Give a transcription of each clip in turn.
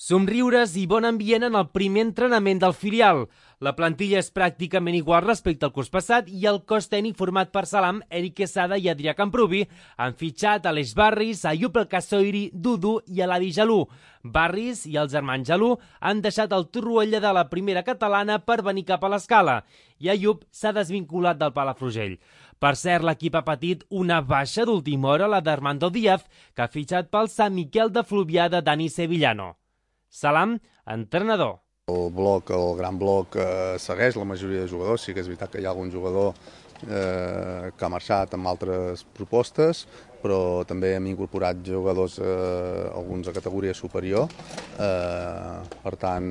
Somriures i bon ambient en el primer entrenament del filial. La plantilla és pràcticament igual respecte al curs passat i el cos tècnic format per Salam, Eric Quesada i Adrià Camprubi han fitxat Aleix Barris, Ayub El Kassoiri, Dudu i Eladi Jalú. Barris i els germans Jalú han deixat el Torroella de la primera catalana per venir cap a l'Escala i Ayub s'ha desvinculat del Palafrugell. Per cert, l'equip ha patit una baixa d'última hora, la d'Armando Díaz, que ha fitxat pel Sant Miquel de Fluvià de Dani Sevillano. Salam, entrenador. El gran bloc segueix la majoria de jugadors. Sí que és veritat que hi ha algun jugador que ha marxat amb altres propostes, però també hem incorporat jugadors, alguns de categoria superior. Per tant,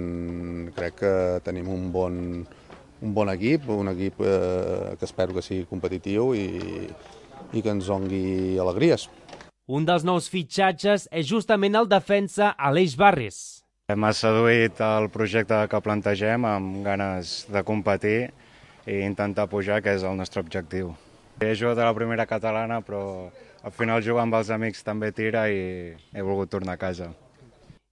crec que tenim un bon equip, que espero que sigui competitiu i que ens doni alegries. Un dels nous fitxatges és justament el defensa Aleix Barris. M'ha seduït el projecte que plantegem amb ganes de competir i intentar pujar, que és el nostre objectiu. He jugat a la primera catalana, però al final jugar amb els amics també tira i he volgut tornar a casa.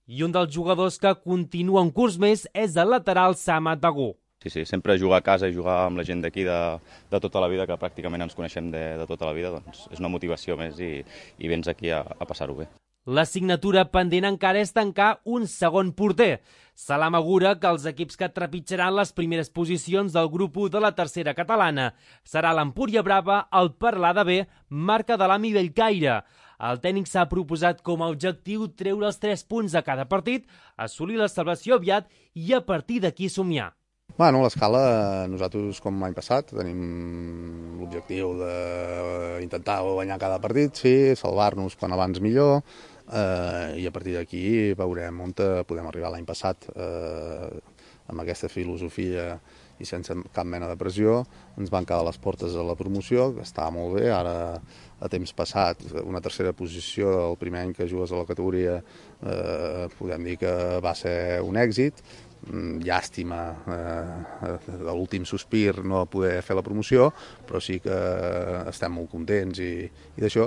I un dels jugadors que continua un curs més és el lateral Samat Bagú. Sí, sempre jugar a casa i jugar amb la gent d'aquí de tota la vida, que pràcticament ens coneixem de tota la vida, doncs és una motivació més i vens aquí a passar-ho bé. L'assignatura pendent encara és tancar un segon porter. Salam augura que els equips que trepitjaran les primeres posicions del grup 1 de la tercera catalana serà l'Empúria Brava, el Paralada B, Marca de l'Ami Bellcaire. El tècnic s'ha proposat com a objectiu treure els 3 punts a cada partit, assolir la salvació aviat i a partir d'aquí somiar. Bueno, a l'Escala, nosaltres, com l'any passat, tenim l'objectiu d'intentar guanyar cada partit, sí, salvar-nos quan abans millor, i a partir d'aquí veurem on podem arribar. L'any passat, amb aquesta filosofia i sense cap mena de pressió, ens van quedar les portes de la promoció, que estava molt bé. Ara, a temps passat, una tercera posició el primer any que jugues a la categoria, podem dir que va ser un èxit. Llàstima de l'últim sospir no poder fer la promoció, però sí que estem molt contents i d'això,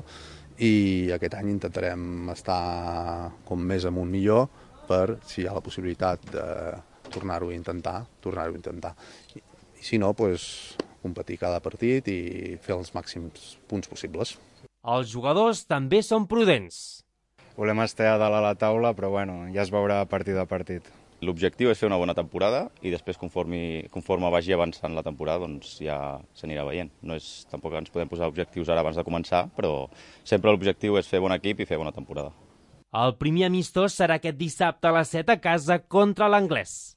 i aquest any intentarem estar com més amunt millor per, si hi ha la possibilitat de tornar-ho a intentar. I si no, competir cada partit i fer els màxims punts possibles. Els jugadors també són prudents. Volem estar a dalt a la taula, però bueno, ja es veurà partit a partit. L'objectiu és fer una bona temporada i després, conforme vagi avançant la temporada, doncs ja s'anirà veient. Tampoc ens podem posar objectius ara abans de començar, però sempre l'objectiu és fer bon equip i fer bona temporada. El primer amistós serà aquest dissabte a les 7 a casa contra l'Anglès.